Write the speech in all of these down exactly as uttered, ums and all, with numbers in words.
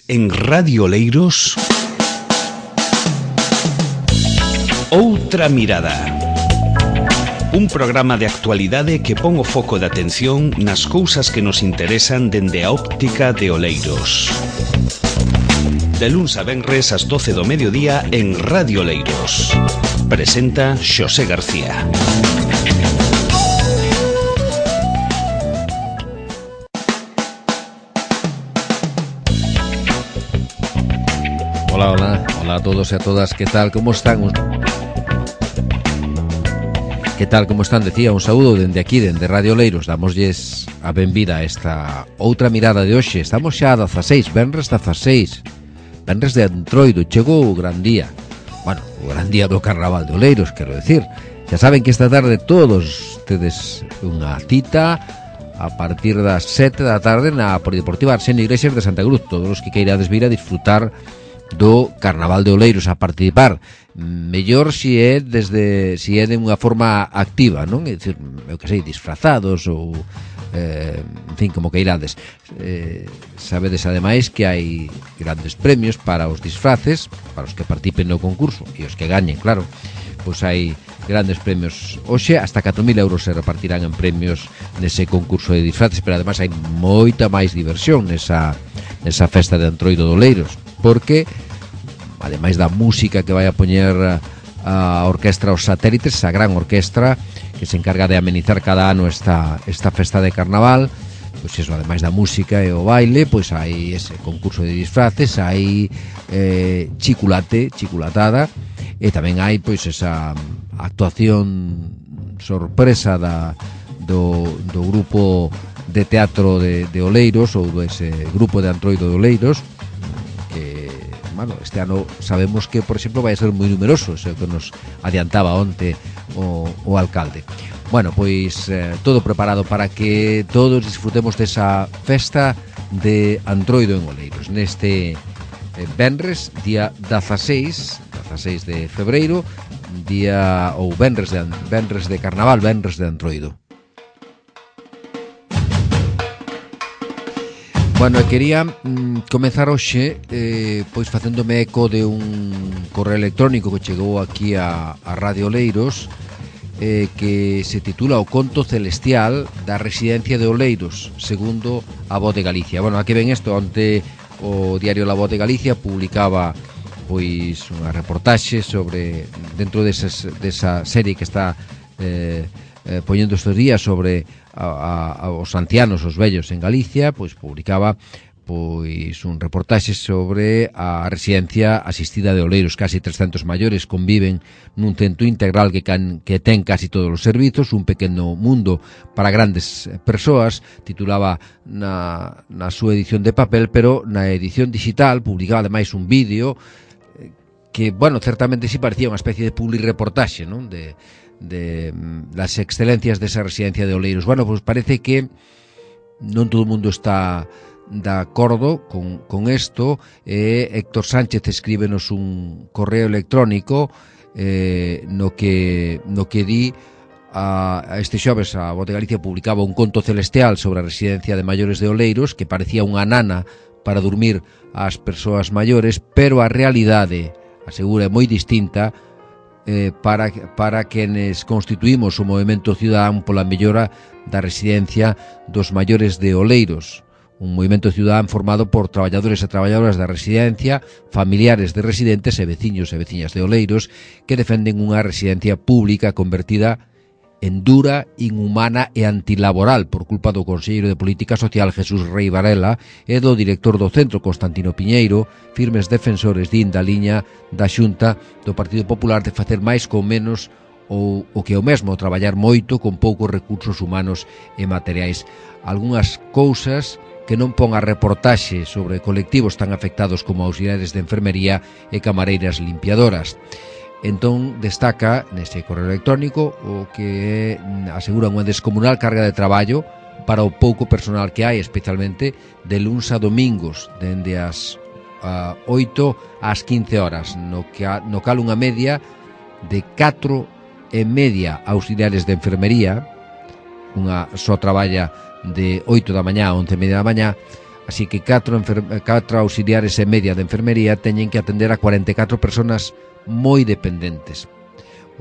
En Radio Oleiros, Outra Mirada. Un programa de actualidade que pon o foco de atención nas cousas que nos interesan dende a óptica de Oleiros. De luns a venres ás doce do mediodía en Radio Oleiros. Presenta Xosé García. Hola, hola, hola a todos e a todas, que tal, como están? Que tal, como están? Decía, un saúdo dende aquí, dende Radio Oleiros. Damosles a benvida a esta outra mirada de hoxe. Estamos xa a dezaseis, venres dezaseis, venres de Antroido, chegou o gran día. Bueno, o gran día do Carnaval de Oleiros, quero decir. Xa saben que esta tarde todos tedes unha cita a partir das sete da tarde na Polideportiva Arsenio Iglesias de Santa Cruz. Todos os que queirades vir a disfrutar do Carnaval de Oleiros, a participar. Mellor si é desde si é de unha forma activa, non? É dicir, eu que sei, disfrazados ou eh, en fin, como que irades. Eh, sabedes ademais que hai grandes premios para os disfraces, para os que participen no concurso e os que gañen, claro. Pois hai grandes premios. Hoxe hasta catro mil euros se repartirán en premios nese concurso de disfraces, pero ademais hai moita máis diversión nesa, nesa festa de Antroido de Oleiros, porque ademais da música que vai a poñer a orquestra Os Satélites, esa gran orquestra que se encarga de amenizar cada ano esta, esta festa de carnaval, pois iso, ademais da música e o baile, pois hai ese concurso de disfraces, hai eh, chiculate, chiculatada, e tamén hai pois esa actuación sorpresa da, do, do grupo de teatro de, de Oleiros, ou ese grupo de Antroido de Oleiros, que, bueno, este ano sabemos que, por exemplo, vai a ser moi numeroso, o que nos adiantaba onte o, o alcalde. Bueno, pois eh, todo preparado para que todos disfrutemos desa festa de Antroido en Oleiros neste eh, venres, día dezaseis de febreiro, día ou venres de, venres de carnaval, venres de Antroido. Bueno, quería mm, comezar hoxe eh, pois facéndome eco de un correo electrónico que chegou aquí a, a Radio Oleiros, eh, que se titula O conto celestial da residencia de Oleiros, segundo a Voz de Galicia. Bueno, aquí ven isto, onte o diario La Voz de Galicia publicaba pois unha reportaxe sobre, dentro desas, desa serie que está eh, eh, poñendo estes días sobre a, a, a os ancianos, os vellos en Galicia, pois publicaba pois un reportaxe sobre a residencia asistida de Oleiros. Casi trescentos maiores conviven nun centro integral que, can, que ten casi todos os servizos, un pequeno mundo para grandes persoas. Titulaba na, na súa edición de papel, pero na edición digital publicaba ademais un vídeo que, bueno, certamente sí parecía unha especie de publireportaxe, non? De, de las excelencias desa residencia de Oleiros. Bueno, pois parece que non todo o mundo está de acordo con, con esto. eh, Héctor Sánchez escríbenos un correo electrónico eh, no que no que di a, a este xoves a Voz de Galicia publicaba un conto celestial sobre a residencia de maiores de Oleiros, que parecía unha nana para dormir ás persoas maiores, pero a realidade, asegura, é moi distinta eh, para, para quenes constituímos o movimento ciudadán pola mellora da residencia dos maiores de Oleiros, un movimento ciudadán formado por traballadores e traballadoras da residencia, familiares de residentes e veciños e veciñas de Oleiros, que defenden unha residencia pública convertida en dura, inhumana e antilaboral por culpa do conselleiro de Política Social Jesús Rei Varela e do director do centro Constantino Piñeiro, firmes defensores din da liña da Xunta do Partido Popular de facer máis con menos, ou o que é o mesmo, traballar moito con poucos recursos humanos e materiais. Algúnas cousas que non pon a reportaxe sobre colectivos tan afectados como auxiliares de enfermería e camareiras limpiadoras. Entón destaca nese correo electrónico o que asegura unha descomunal carga de traballo para o pouco personal que hai, especialmente de luns a domingos, dende as uh, oito ás quince horas, no, que, no cal unha media de catro e media auxiliares de enfermería, unha só traballa de oito da mañá a once e media da mañá, así que catro, catro auxiliares e media de enfermería teñen que atender a cuarenta e catro personas moi dependentes.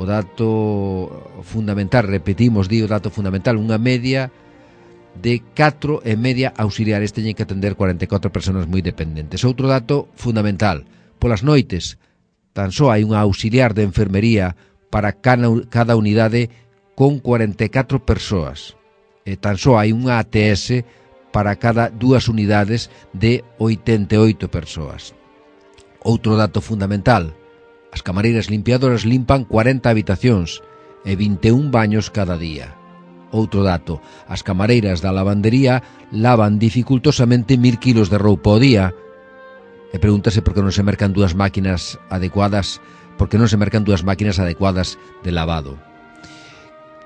O dato fundamental, repetimos, di o dato fundamental, unha media de catro e media auxiliares teñen que atender cuarenta e catro personas moi dependentes. Outro dato fundamental, polas noites tan só hai unha auxiliar de enfermería para cada unidade con cuarenta e catro persoas. E tan só hai unha A T S para cada dúas unidades de oitenta e oito persoas. Outro dato fundamental, as camareiras limpiadoras limpan cuarenta habitacións e vinte e un baños cada día. Outro dato, as camareiras da lavandería lavan dificultosamente mil kilos de roupa ao día. E pregúntase por que non se mercan dúas máquinas adecuadas, por que non se mercan dúas máquinas adecuadas de lavado.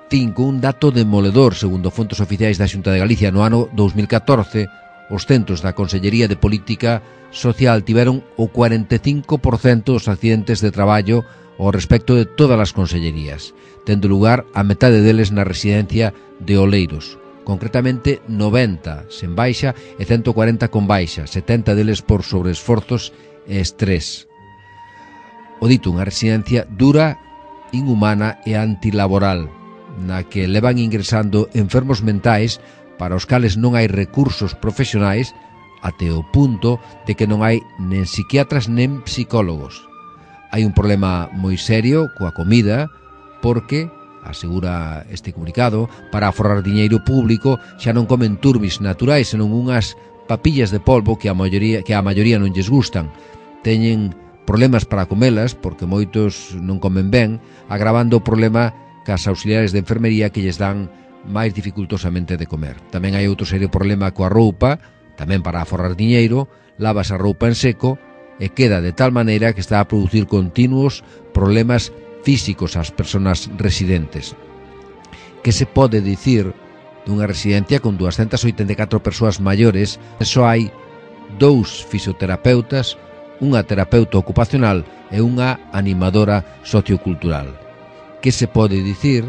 Cinco, un dato demoledor, segundo fontes oficiais da Xunta de Galicia, no ano dous mil catorce, os centros da Consellería de Política Social tiveron o cuarenta e cinco por cento dos accidentes de traballo ao respecto de todas as consellerías, tendo lugar a metade deles na residencia de Oleiros, concretamente noventa sen baixa e ciento cuarenta con baixa, setenta deles por sobreesforzos e estrés. O dito, unha residencia dura, inhumana e antilaboral, na que levan ingresando enfermos mentais para os cales non hai recursos profesionais até o punto de que non hai nen psiquiatras nen psicólogos. Hai un problema moi serio coa comida porque, asegura este comunicado, para aforrar diñeiro público xa non comen turbis naturais, senón unhas papillas de polvo que a maioría, que a maioría non lles gustan. Teñen problemas para comelas porque moitos non comen ben, agravando o problema cas auxiliares de enfermería que lles dan máis dificultosamente de comer. Tamén hai outro serio problema coa roupa, tamén para aforrar diñeiro, lavas a roupa en seco e queda de tal maneira que está a producir continuos problemas físicos ás persoas residentes. Que se pode dicir dunha residencia con doscientas oitenta e catro persoas maiores, só hai dous fisioterapeutas, unha terapeuta ocupacional e unha animadora sociocultural. Que se pode dicir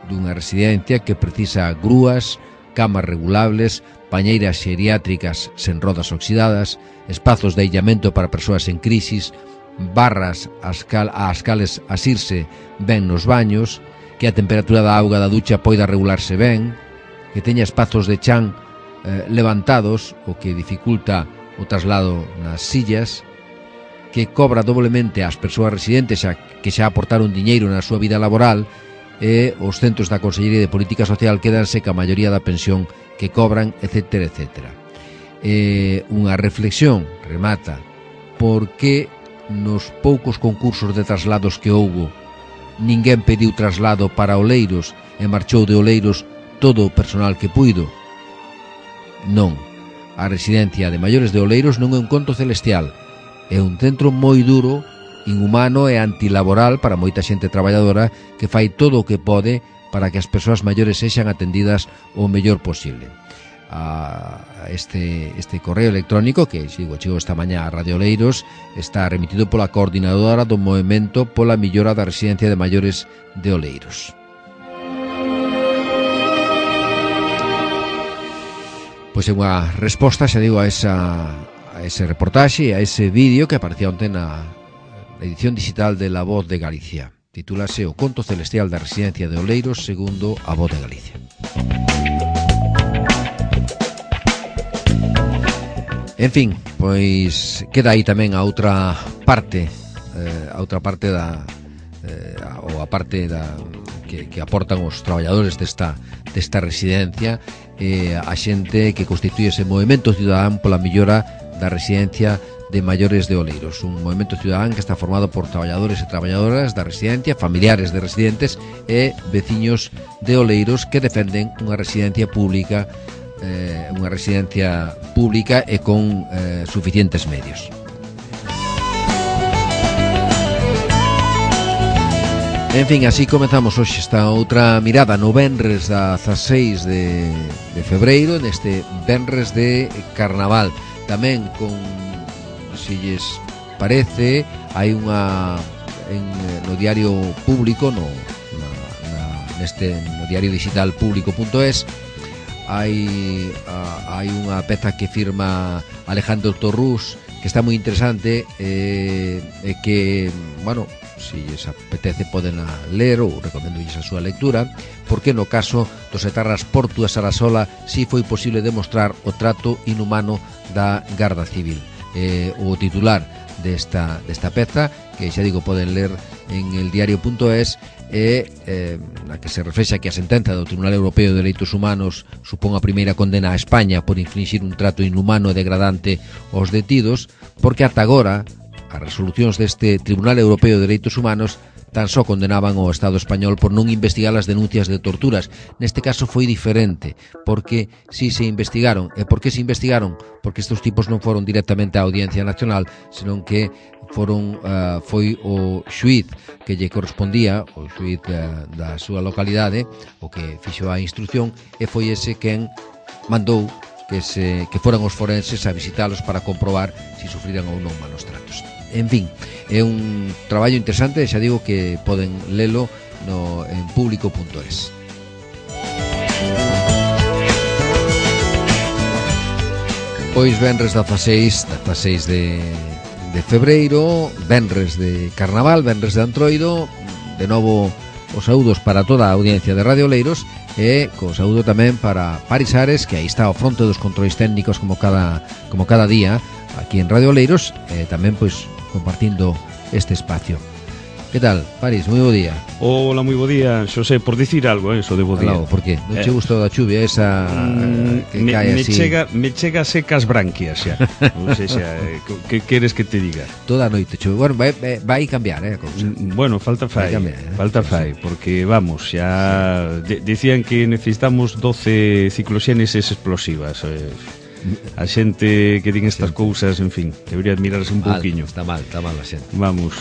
dunha residencia que precisa grúas, camas regulables, pañeiras xeriátricas sen rodas oxidadas, espazos de illamento para persoas en crisis, barras ás cales asirse ben nos baños, que a temperatura da auga da ducha poida regularse ben, que teña espazos de chan eh, levantados, o que dificulta o traslado nas sillas, que cobra doblemente ás persoas residentes xa, que xa aportaron diñeiro na súa vida laboral, e os centros da Consellería de Política Social quedanse ca maioría da pensión que cobran, etcétera, etcétera. E unha reflexión, remata, por que nos poucos concursos de traslados que houbo ninguén pediu traslado para Oleiros e marchou de Oleiros todo o personal que puido? Non, a residencia de maiores de Oleiros non é un conto celestial, é un centro moi duro, inhumano e antilaboral para moita xente traballadora que fai todo o que pode para que as persoas maiores sexan atendidas o mellor posible. A este, este correo electrónico que sigo, chegou esta mañá a Radio Oleiros está remitido pola coordinadora do Movemento pola Millora da Residencia de Maiores de Oleiros. Pois é unha resposta, xa digo, a esa... a ese reportaxe, a ese vídeo que aparecía onte na edición digital de La Voz de Galicia. Titúlase O conto celestial da residencia de Oleiros segundo A Voz de Galicia. En fin, pois queda aí tamén a outra parte, eh, a outra parte da eh, ou a parte da que, que aportan os traballadores desta desta residencia, eh, a xente que constituye ese movemento cidadán pola millora da residencia de maiores de Oleiros, un movemento cidadán que está formado por traballadores e traballadoras da residencia, familiares de residentes e veciños de Oleiros que defenden unha residencia pública, eh, unha residencia pública e con eh, suficientes medios. En fin, así comezamos hoxe esta outra mirada no venres da dezaseis de, de febreiro, neste venres de Carnaval. Tamén con, se lles parece, hai unha en, no diario público, no, na, na, neste no diario digital público punto es, hai a, hai unha peza que firma Alejandro Torrús que está moi interesante e eh, eh, que, bueno, se lles apetece poden a ler ou recomendo a súa lectura, porque no caso dos etarras Portu e Sarasola si foi posible demostrar o trato inhumano da Garda Civil. Eh, o titular desta, desta peza, que xa digo poden ler en el diario punto es, e eh, na que se reflexa que a sentenza do Tribunal Europeo de Dereitos Humanos supón a primeira condena a España por infringir un trato inhumano e degradante aos detidos, porque ata agora as resolucións deste Tribunal Europeo de Dereitos Humanos tan só condenaban ao Estado español por non investigar as denuncias de torturas. Neste caso foi diferente, porque si se investigaron. E por que se investigaron? Porque estes tipos non foron directamente á Audiencia Nacional, senón que foron uh, foi o xuíz que lle correspondía, o xuíz uh, da súa localidade, o que fixo a instrucción, e foi ese quen mandou que se que foran os forenses a visitalos para comprobar se si sufriran ou non malos tratos. En fin, é un traballo interesante, xa digo que poden lelo no, en público punto es. Pois venres dezaseis, dezaseis de, de febreiro, venres de Carnaval, venres de Antroido, de novo os saúdos para toda a audiencia de Radio Oleiros e co saúdo tamén para Paris Ares, que aí está ao fronte dos controis técnicos como cada, como cada día aquí en Radio Oleiros, e tamén pois compartindo este espacio. Que tal, Paris? Moi bo día. Hola, moi bo día. Xosé, por dicir algo, eh, eso de bo día. Claro, por que? Non che gustou da chuvia esa mm, que me, cae me así? Chega, me chega secas branquias xa. Non sei xa, que queres que te diga? Toda a noite chove. Bueno, vai, vai cambiar, eh, a cousa. Bueno, falta fai, cambiar, eh? falta fai, porque vamos, xa de, decían que necesitamos doce cicloxéneses explosivas. Eh. A xente que din estas cousas, en fin, debería admirarse un pouquiño. Está mal, está mal a xente. Vamos.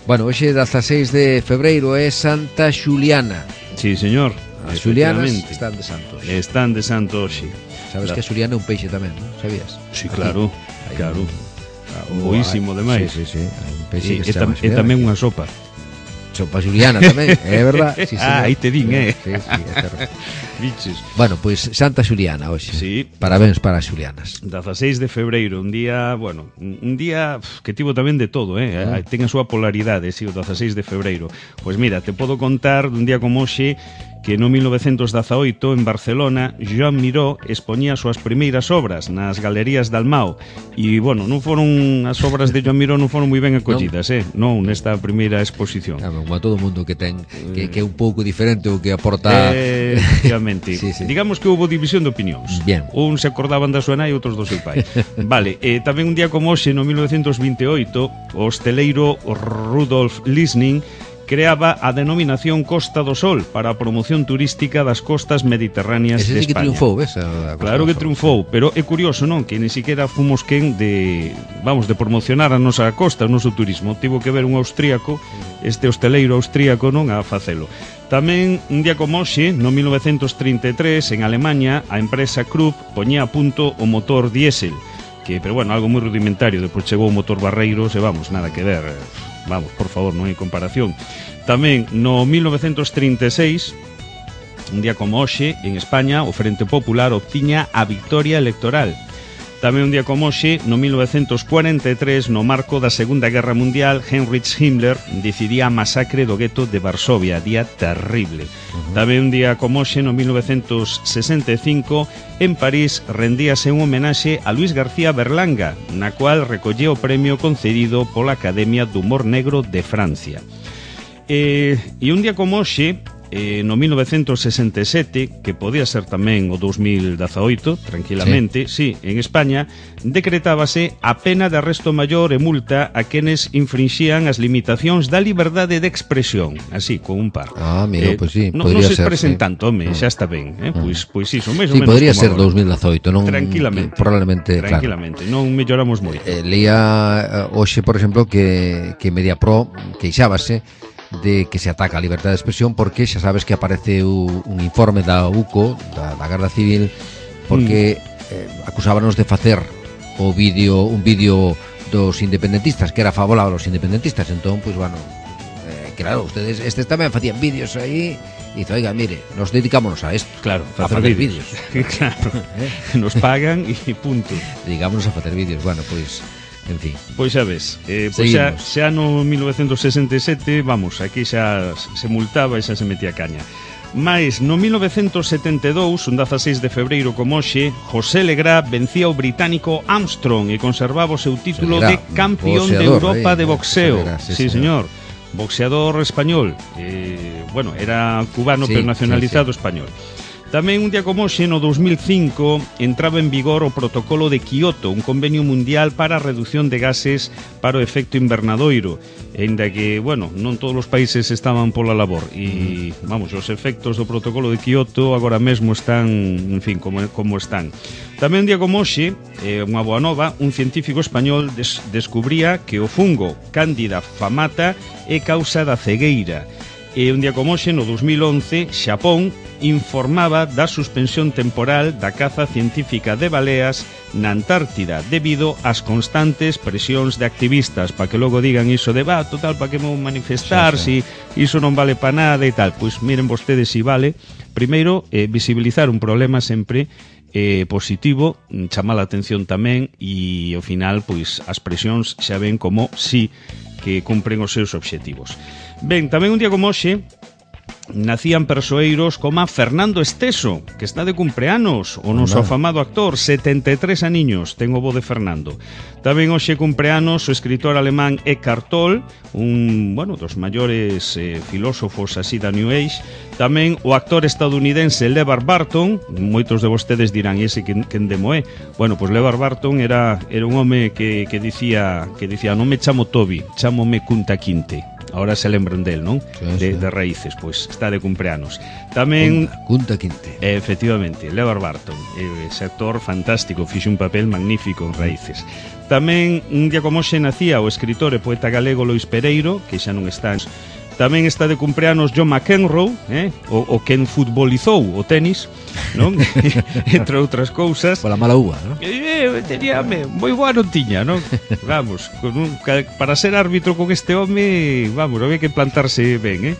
Bueno, hoxe dezaseis de febreiro é Santa Xuliana. Sí, señor. As xulianas están de santos. Están de santo hoxe. Sabes La... que a xuliana é un peixe tamén, non? Sabías? Sí, claro, aquí, claro. Un... Boísimo demais. Sí, sí, sí. Hai un peixe sí, que se chama chama xuliana. É tamén unha sopa. Sopa xuliana tamén, é verdad? Sí, ah, aí te din, eh? Sí, sí, é certo. Biches. Bueno, pois pues, Santa Xuliana hoxe. Sí. Parabéns para as xulianas. dezaseis de febreiro, un día, bueno, un día que tivo tamén de todo, eh? Ah. Ten a súa polaridade, si, o dezaseis de febreiro. Pois mira, te podo contar dun día como hoxe que no mil novecentos dezaoito en Barcelona Joan Miró expoñía as súas primeiras obras nas galerías de Almao e, bueno, non foron as obras de Joan Miró non foron moi ben acollidas, non. eh? Non, nesta primeira exposición. Claro, como a todo mundo que ten que, que é un pouco diferente o que aporta... Eh, efectivamente. Sí, sí. Digamos que houve división de opinións. Bien. Un se acordaban da súa nai e outros do seu pai. Vale, eh, tamén un día como hoxe, no mil novecentos veintioito, o hosteleiro Rudolf Lisning creaba a denominación Costa do Sol para a promoción turística das costas mediterráneas Ese de sí que España. triunfou, ves? A Claro que triunfou, pero é curioso, non? Que ni siquiera fomos quen de, vamos, de promocionar a nosa costa, o noso turismo. Tivo que ver un austríaco, este hosteleiro austríaco, non, a facelo. Tamén, un día como hoxe, no mil novecentos trinta e tres, en Alemanha, a empresa Krupp poñía a punto o motor diésel, que, pero bueno, algo moi rudimentario. Depois chegou o motor Barreiros e vamos, nada que ver. Vamos, por favor, non hai comparación. Tamén, no mil novecentos trinta e seis, un día como hoxe, en España, o Frente Popular obtiña a victoria electoral. Tamén un día como hoxe, no mil novecentos cuarenta e tres, no marco da Segunda Guerra Mundial, Heinrich Himmler decidía a masacre do gueto de Varsovia, día terrible. Uh-huh. Tamén un día como hoxe, no mil novecentos sesenta e cinco, en París rendíase un homenaxe a Luis García Berlanga, na cual recollía o premio concedido pola Academia do Humor Negro de Francia. E, e un día como hoxe, eh, no mil novecentos sesenta e sete, que podía ser tamén o dos mil dezaoito, tranquilamente, sí. sí, en España, decretábase a pena de arresto maior e multa a quenes infringían as limitacións da liberdade de expresión, así, con un par. Ah, mira, eh, pois pues sí, no, podría ser. Non se expresen sí. tanto, home, mm. xa está ben, eh? Mm. Pois, pois iso, máis sí, ou menos. Podría ser agora. dos mil dezaoito, non? Tranquilamente. Probablemente, Tranquilamente, claro. Non melloramos moito. Eh, leía uh, hoxe, por exemplo, que, que Mediapro queixábase de que se ataca a liberdade de expresión porque xa sabes que aparece u, un informe da U C O, da, da Garda Civil, porque mm. eh, acusábanos de facer o vídeo, un vídeo dos independentistas que era favorable aos independentistas, entón, pois, bueno, eh, claro, ustedes estes tamén facían vídeos aí. E dice, oiga, mire, nos dedicámonos a esto. Claro, a facer vídeos. Claro, ¿eh? Nos pagan e punto. Dedicámonos a facer vídeos, bueno, pois, en fin. Pois xa ves, eh, pois xa, xa no mil novecentos sesenta e sete, vamos, aquí xa se multaba e xa se metía caña. Mais no mil novecentos setenta e dous, un dezaseis de febreiro como hoxe, José Legrá vencía o británico Armstrong e conservaba o seu título de campeón de Europa de boxeo. Sí, señor. Boxeador español, eh, bueno, era cubano, sí, pero nacionalizado, sí, sí, español. Tamén un día como hoxe, no dos mil cinco, entraba en vigor o protocolo de Kioto, un convenio mundial para a reducción de gases para o efecto invernadoiro, ainda que, bueno, non todos os países estaban pola labor e, vamos, os efectos do protocolo de Kioto agora mesmo están, en fin, como, como están. Tamén un día como hoxe, eh, unha boa nova, un científico español des descubría que o fungo Cándida famata é causa da cegueira. E un día como hoxe, no dos mil once, Xapón informaba da suspensión temporal da caza científica de baleas na Antártida debido ás constantes presións de activistas para que logo digan iso de va, total, para que vou manifestar, sí, sí, si iso non vale para nada e tal. Pois miren vostedes si vale. Primeiro, eh, visibilizar un problema sempre eh, positivo, chamar a atención tamén e ao final, pois, as presións xa ven como si que cumpren os seus obxectivos. Ben, tamén un día como hoxe nacían persoeiros como Fernando Esteso, que está de cumpleanos, o noso afamado actor, setenta e tres aniños, ten o bo de Fernando. Tamén hoxe cumpleanos o escritor alemán Eckhart Tolle, un, bueno, dos maiores eh, filósofos así da New Age. Tamén o actor estadounidense LeVar Burton, moitos de vostedes dirán, ese quen, quen demo é? Bueno, pois LeVar Burton era, era un home que, que dicía, que dicía, non me chamo Toby, chámome Kunta Kinte. Ahora se lembran del, non? Sí, de, sí. de raíces, pois está de cumpleanos. Tamén Kunta Kinte. Eh, efectivamente, LeVar Burton, eh, ese actor fantástico, fixe un papel magnífico en Raíces. Tamén un día como hoxe nacía o escritor e poeta galego Lois Pereiro, que xa non está. Tamén está de cumpleanos John McEnroe, eh? o, o quen futbolizou o tenis, non? Entre outras cousas. Pola mala uva, non? Eh, tenía, moi boa non tiña, non? Vamos, con un, para ser árbitro con este home, vamos, había que plantarse ben, eh?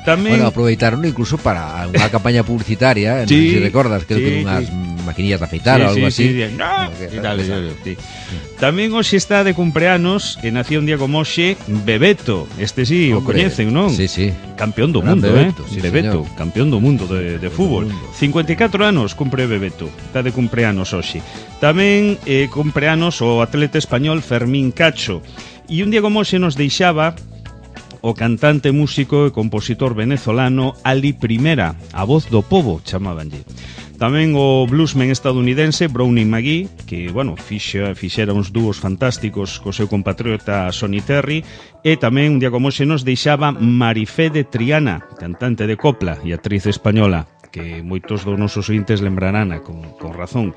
Tamén... Bueno, aproveitaron incluso para unha campaña publicitaria, sí, non sei se recordas, creo sí, que unhas sí. maquinillas de afeitar sí, ou algo sí, así. Sí, sí. No, que, dale, dale, sí. Tamén hoxe está de cumpleanos, e nacía un día como hoxe, Bebeto. Este sí, hombre, o coñecen, non? Sí, sí. Campeón do mundo, Bebeto, eh? Sí, Bebeto, señor. Campeón do mundo de, de fútbol. cincuenta e catro anos cumpre Bebeto. Está de cumpleanos hoxe. Tamén eh, cumpleanos o atleta español Fermín Cacho. E un día como hoxe nos deixaba o cantante, músico e compositor venezolano Ali Primera, a voz do pobo, chamábanlle. Tamén o bluesman estadounidense Brownie McGhee, que, bueno, fixa, fixera uns dúos fantásticos co seu compatriota Sonny Terry, e tamén un día como hoxe nos deixaba Marifé de Triana, cantante de copla e actriz española, que moitos dos nosos ointes lembrarán con, con razón.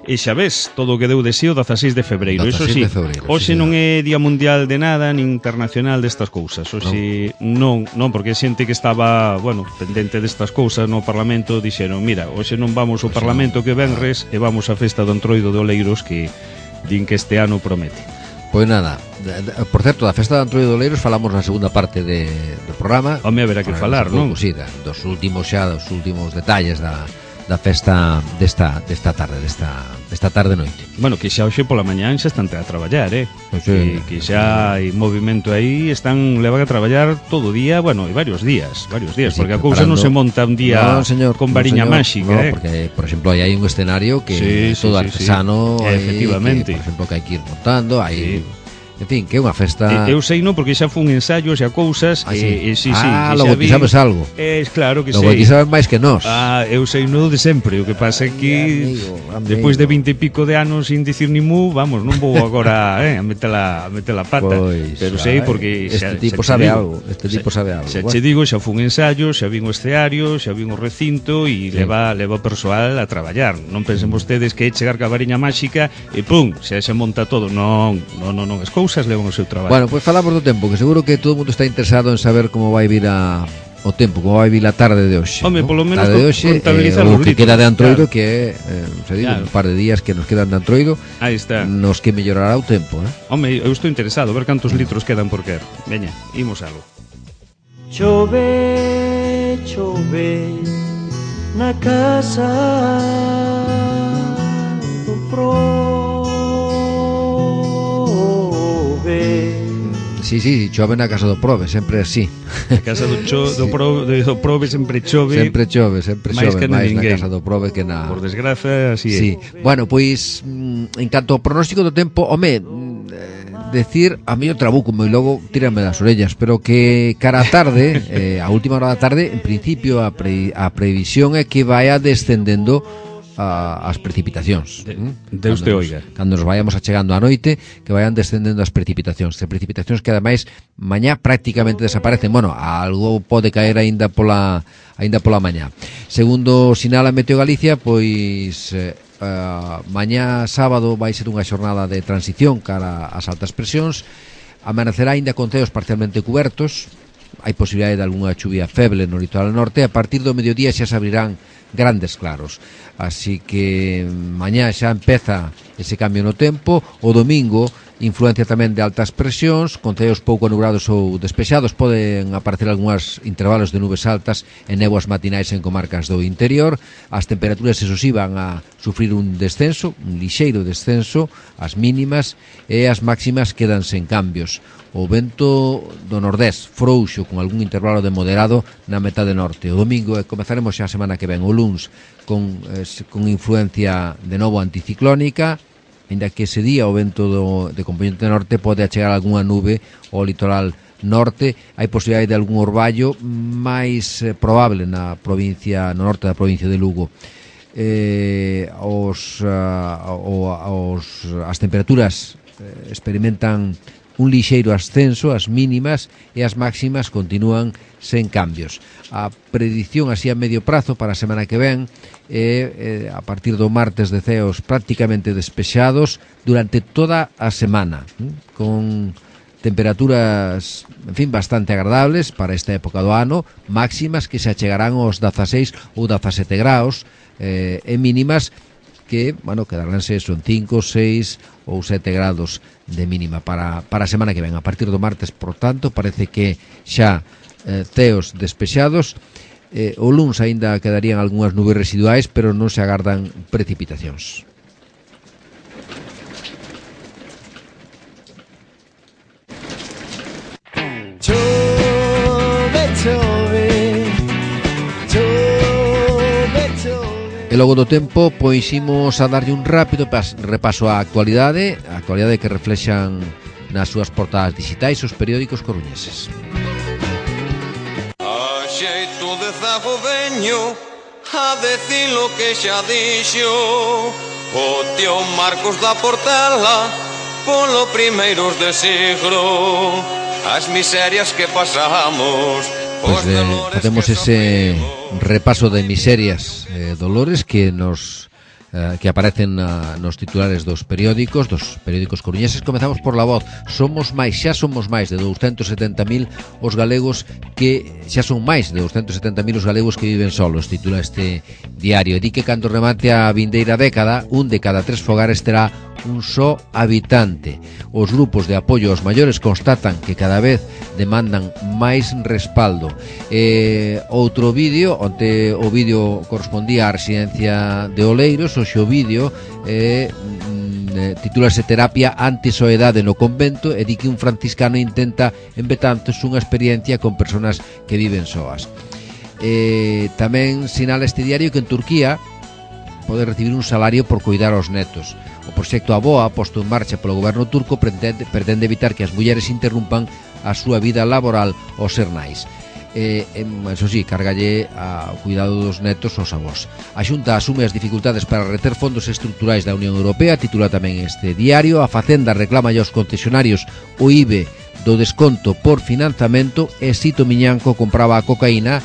E xa ves, todo o que deu de sí o dezaseis de febreiro. Iso sí, hoxe non é Día Mundial de nada, nin internacional destas cousas. Hoxe non, non, porque xente que estaba, bueno, pendente destas cousas no Parlamento dixeron, mira, hoxe non vamos ao Parlamento que venres e vamos á festa do Entroido de Oleiros que din que este ano promete. Pois nada, por certo, da festa de Entroido de Oleiros falamos na segunda parte de, do programa. Home, haberá que falar, non? Sí, dos últimos xa, dos últimos detalles da da festa desta desta tarde, desta desta tarde noite. Bueno, que xa hoxe pola mañán xa están a traballar, eh? Sí, que, que xa hai movimento aí, están levan a traballar todo o día, bueno, e varios días, varios días, sí, porque a cousa non se monta un día no, señor, con variña no, máxica, no, eh? Porque, por exemplo, aí hai un escenario que sí, é todo sí, artesano, sí, sí. Efectivamente. Que, por exemplo, que hai que ir montando, hai sí. En fin, que é unha festa... Eu sei non, porque xa fun ensayos e a cousas ah, sí. e, e, sí, ah, sí, logo ti sabes algo. É, claro que logo sei. Logo ti sabes máis que nós. Ah, eu sei no de sempre. O que pasa é que despois de vinte e pico de anos sin dicir ni mu, vamos, non vou agora eh, a metela a metela pata. Pois, pero sei porque este xa, tipo xa sabe digo, algo, este tipo xa, sabe algo. Xa che digo, xa fun ensayos, xa vin o escenario, xa vin o recinto e sí. leva leva persoal a traballar. Non pensen vostedes que é chegar ca variña máxica e pum, xa se monta todo. Non, non, non, non, as cousas levan o seu traballo. Bueno, pois pues falamos do tempo, que seguro que todo o mundo está interesado en saber como vai vir a o tempo, como vai vir a tarde de hoxe. Home, ¿no? polo menos tarde de hoxe, contabilizar eh, o os que litros, queda de Antroido, claro. que é, eh, se digo, claro. un par de días que nos quedan de Antroido. Aí está. Nos que mellorará o tempo, eh? Home, eu estou interesado, ver cantos litros quedan por quer. Veña, imos algo. Chove, chove na casa do prove. Sí, sí, chove na casa do prove, sempre así. Na casa do, cho, do, prove, do prove sempre chove. Sempre chove, sempre máis chove, que na máis na ninguén. casa do prove que na... Por desgraza, así é. Sí. Bueno, pois, en canto ao pronóstico do tempo, home, decir, a mí o trabuco e logo tírame das orellas, pero que cara a tarde, eh, a última hora da tarde, en principio a, pre, a previsión é que vaya descendendo a, as precipitacións. De, Deus te oiga. Cando nos vayamos achegando a noite, que vayan descendendo as precipitacións. As precipitacións que ademais mañá prácticamente desaparecen. Bueno, algo pode caer aínda pola aínda pola mañá. Segundo sinala Meteo Galicia, pois eh, Uh, mañá sábado vai ser unha xornada de transición cara ás altas presións. Amanecerá aínda con ceos parcialmente cubertos. Hai posibilidade de algunha chuvia feble no litoral norte. A partir do mediodía xa se abrirán grandes claros. Así que mañá xa empeza ese cambio no tempo. O domingo influencia tamén de altas presións, con ceos pouco nubrados ou despexados. Poden aparecer algúns intervalos de nubes altas e néboas matinais en comarcas do interior. As temperaturas, eso sí, van a sufrir un descenso, un lixeiro descenso, as mínimas, e as máximas quedan sen cambios. O vento do nordés frouxo con algún intervalo de moderado na metade norte. O domingo, e comezaremos xa a semana que ven, o luns, con, eh, con influencia de novo anticiclónica, ainda que ese día o vento do, de componente norte pode achegar algunha nube ao litoral norte. Hai posibilidade de algún orballo máis eh, probable na provincia, no norte da provincia de Lugo. Eh, os, uh, os, as temperaturas eh, experimentan un lixeiro ascenso, as mínimas e as máximas continúan sen cambios. A predición así a medio prazo para a semana que ven é eh, a partir do martes de ceos prácticamente despexados durante toda a semana, eh, con temperaturas, en fin, bastante agradables para esta época do ano, máximas que se achegarán aos dezaseis ou dezasete graus, eh, e mínimas que, bueno, quedaránse son cinco, seis ou sete grados de mínima para, para a semana que ven. A partir do martes, por tanto, parece que xa eh, ceos despexados. Eh, o luns aínda quedarían algunhas nubes residuais, pero non se agardan precipitacións. Chove, chove, chove, chove. E logo do tempo, pois imos a darlle un rápido repaso á actualidade, a actualidade que reflexan nas súas portadas digitais os periódicos coruñeses. A xeito de zago veño a decir lo que xa dixo o tío Marcos da Portela polo primeiros de siglo, as miserias que pasamos. Pois pues, eh, facemos ese repaso de miserias, eh, dolores que nos eh, que aparecen na, nos titulares dos periódicos, dos periódicos coruñeses. Comezamos por La Voz. Somos máis, xa somos máis de douscentos e setenta mil os galegos que xa son máis de douscentos e setenta mil os galegos que viven solos, titula este diario. E di que cando remate a vindeira década, un de cada tres fogares terá un só habitante. Os grupos de apoio aos maiores constatan que cada vez demandan máis respaldo. E outro vídeo, onte o vídeo correspondía á residencia de Oleiros, hoxe o vídeo eh, titúlase Terapia anti-soedade no convento, e di que un franciscano intenta en Betanzos unha experiencia con persoas que viven soas. E tamén sinala este diario que en Turquía pode recibir un salario por cuidar aos netos. O proxecto Aboa, posto en marcha polo goberno turco, pretende, pretende evitar que as mulleres interrumpan a súa vida laboral aos ser nais. E, eso sí, cargalle ao cuidado dos netos aos avós. A Xunta asume as dificultades para reter fondos estruturais da Unión Europea, titula tamén este diario. A Facenda reclama aos concesionarios o I B E do desconto por financiamento, e Sito Miñanco compraba a cocaína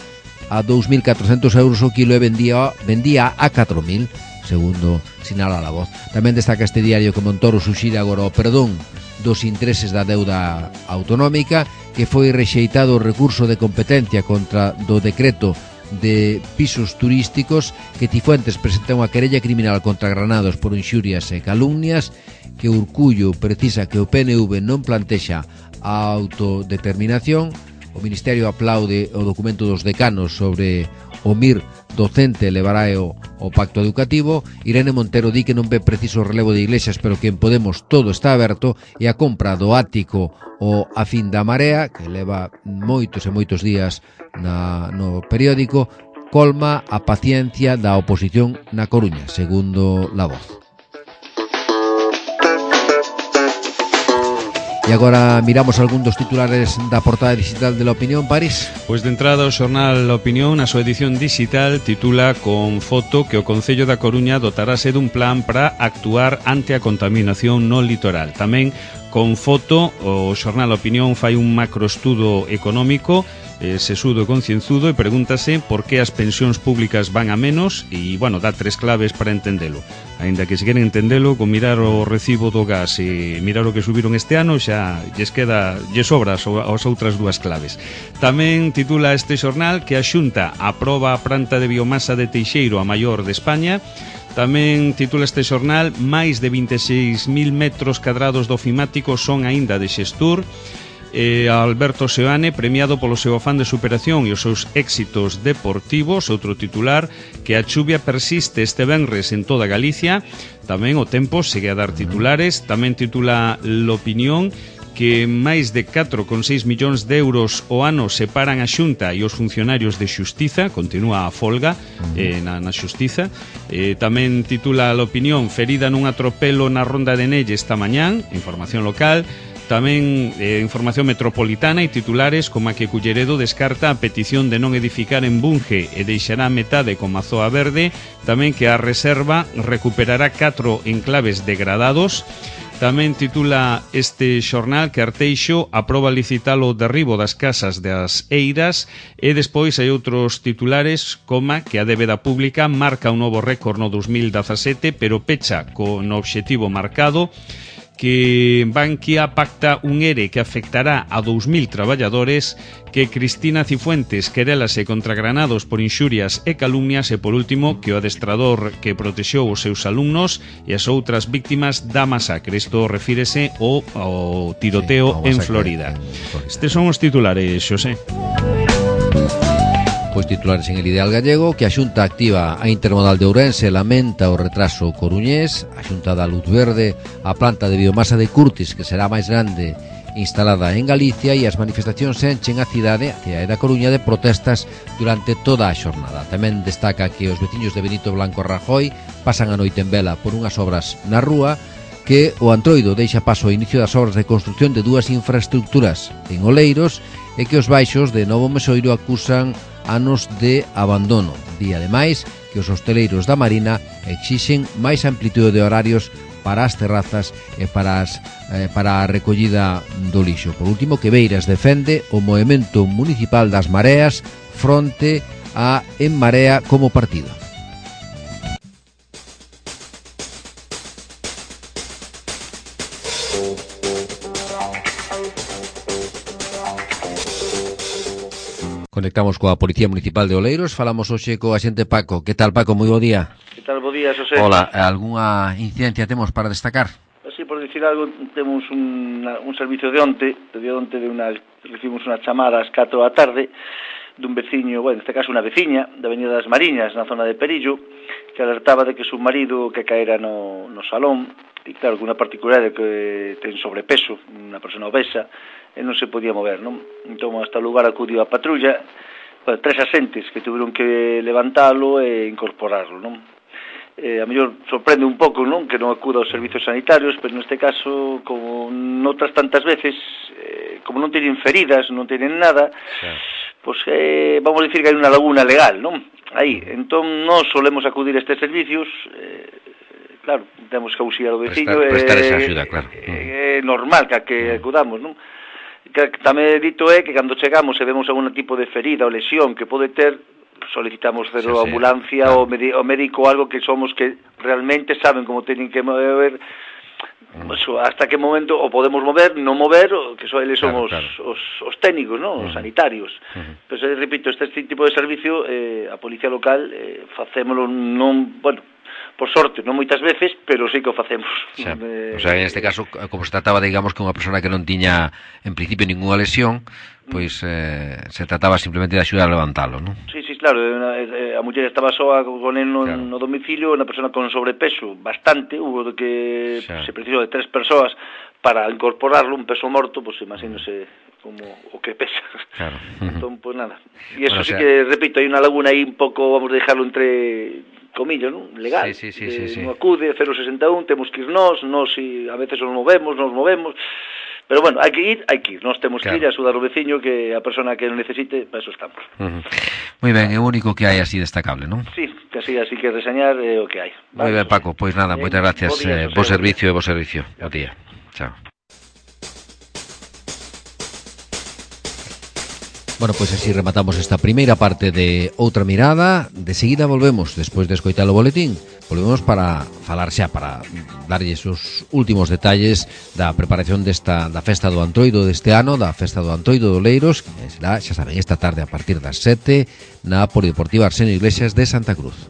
a dous mil catrocentos euros o kilo e vendía, vendía a catro mil, segundo sinala La Voz. Tamén destaca este diario que Montoro suxire agora o perdón dos intereses da deuda autonómica, que foi rexeitado o recurso de competencia contra do decreto de pisos turísticos, que Cifuentes presenta unha querella criminal contra Granados por inxurias e calumnias, que Urcullo precisa que o P N V non plantexa a autodeterminación, O Ministerio aplaude o documento dos decanos sobre o M I R docente levará o, o pacto educativo. Irene Montero di que non ve preciso o relevo de iglesias, pero que en Podemos todo está aberto, e a compra do ático o A Fin da Marea, que leva moitos e moitos días na, no periódico, colma a paciencia da oposición na Coruña, segundo La Voz. E agora miramos algún dos titulares da portada digital de La Opinión, París. Pois de entrada o xornal La Opinión, na súa edición digital, titula con foto que o Concello da Coruña dotarase dun plan para actuar ante a contaminación no litoral. Tamén con foto o xornal La Opinión fai un macroestudo económico eh, sesudo e concienzudo e pregúntase por que as pensións públicas van a menos e, bueno, dá tres claves para entendelo. Ainda que se queren entendelo, con mirar o recibo do gas e mirar o que subiron este ano, xa lles queda, lles sobra as outras dúas claves. Tamén titula este xornal que a Xunta aproba a planta de biomasa de Teixeiro, a maior de España. Tamén titula este xornal máis de vinte e seis mil metros cadrados do ofimático son aínda de Xestur. Eh, Alberto Seoane, premiado polo seu afán de superación e os seus éxitos deportivos. Outro titular, que a chuvia persiste este venres en toda Galicia. Tamén o Tempo segue a dar titulares. Tamén titula L'Opinión que máis de catro coma seis millóns de euros o ano separan a Xunta e os funcionarios de Xustiza. Continúa a folga eh, na, na Xustiza. eh, Tamén titula L'Opinión, ferida nun atropelo na Ronda de Nelle esta mañán. Información local. Tamén eh, información metropolitana e titulares como a que Culleredo descarta a petición de non edificar en Bunge e deixará metade con Mazoa Verde. Tamén que a Reserva recuperará catro enclaves degradados. Tamén titula este xornal que Arteixo aproba licitar o derribo das casas das Eiras. E despois hai outros titulares como que a débeda pública marca un novo récord no dos mil dezasete, pero pecha con obxectivo marcado. Que Bankia pacta un ERE que afectará a dous mil traballadores, que Cristina Cifuentes querélase contra Granados por inxurias e calumnias e, por último, que o adestrador que protexeu os seus alumnos e as outras víctimas da masacre. Isto refírese ao, ao tiroteo sí, en Florida. En Estes son os titulares, Xosé. Pois titulares en El Ideal Gallego, que a Xunta activa a intermodal de Ourense, lamenta o retraso coruñés. A Xunta dá luz verde a planta de biomasa de Curtis, que será máis grande, instalada en Galicia, e as manifestacións enchen a cidade, a cidade da Coruña, de protestas durante toda a xornada. Tamén destaca que os veciños de Benito Blanco Rajoy pasan a noite en vela por unhas obras na rúa, que o Antroido deixa paso ao inicio das obras de construción de dúas infraestructuras en Oleiros, e que os baixos de Novo Mesoiro acusan anos de abandono. Di ademais que os hosteleiros da Marina exixen máis amplitude de horarios para as terrazas e para, as, eh, para a recollida do lixo. Por último, que Beiras defende o movemento municipal das mareas fronte a En Marea como partido. Conectamos coa Policía Municipal de Oleiros. Falamos hoxe co axente Paco. Que tal, Paco? Moi bo día. Que tal, bo día, Xosé? Hola, algunha incidencia temos para destacar? Así, por dicir algo, temos un, un servicio de onte, de onte de una, recibimos unha chamada ás catro da tarde dun veciño, bueno, neste caso unha veciña da Avenida das Mariñas, na zona de Perillo, que alertaba de que su marido que caera no, no salón, e claro, que unha particularidade que ten sobrepeso, unha persona obesa, e non se podía mover, non? Entón, hasta o lugar acudiu a patrulla, bueno, tres asentes que tuveron que levantalo e incorporarlo, non? Eh, a mellor sorprende un pouco, non? Que non acuda aos servizos sanitarios, pero neste caso, como noutras tantas veces, eh, como non teñen feridas, non teñen nada, sí. Pois eh, vamos a dicir que hai unha laguna legal, non? Aí, entón, non solemos acudir a estes servicios, eh, claro, temos que auxiliar o veciño, prestar, prestar esa axuda, claro. É eh, normal que, que acudamos, non? Que tamén dito é que cando chegamos e vemos algún tipo de ferida ou lesión que pode ter, solicitamos cero sí, sí, ambulancia claro. o médico, algo que somos que realmente saben como teñen que mover, mm. hasta que momento o podemos mover, non mover, que so, eles son claro, os, claro. os, os técnicos, ¿no? Os mm. sanitarios. Mm. Pero, repito, este tipo de servicio, eh, a policía local, eh, facémolo non, bueno, por sorte, non moitas veces, pero sí que o facemos. Xa. Eh, O sea, en este caso, como se trataba, digamos, que unha persona que non tiña en principio ninguna lesión, pois eh, se trataba simplemente de axudar a levantalo, non? Sí, sí, claro, eh, a muller estaba soa con el no, Claro. no domicilio, unha persona con sobrepeso bastante, hubo de que Xa. se precisou de tres persoas para incorporarlo, un peso morto, pois pues, imagínose como o que pesa. Claro. Entón, pois pues, nada. E eso Bueno, sí o sea... que, repito, hai unha laguna aí un pouco, vamos a dejarlo entre comillas, non? Legal. Sí, sí, sí, sí, sí. Non acude, cero sesenta e un, temos que ir nós, nós si a veces nos movemos, nos movemos, pero bueno, hai que ir, hai que ir, nós temos Claro. que ir a axudar o veciño, que a persona que o necesite, para eso estamos. Uh-huh. Moi ben, é o único que hai así destacable, non? Sí, que así, así que reseñar é o que hai. Moi ben, Paco, pois nada, Ben, moitas gracias, bo día, eh, José, bo bo servicio e bo servicio. Bo día. Chao. Bueno, pois así rematamos esta primeira parte de Outra Mirada. De seguida volvemos, despois de escoitar o boletín, volvemos para falar xa, para darlles os últimos detalles da preparación desta da festa do Antroido deste ano, da festa do Antroido de Oleiros, que será, xa saben, esta tarde a partir das sete na Polideportiva Arsenio Iglesias de Santa Cruz.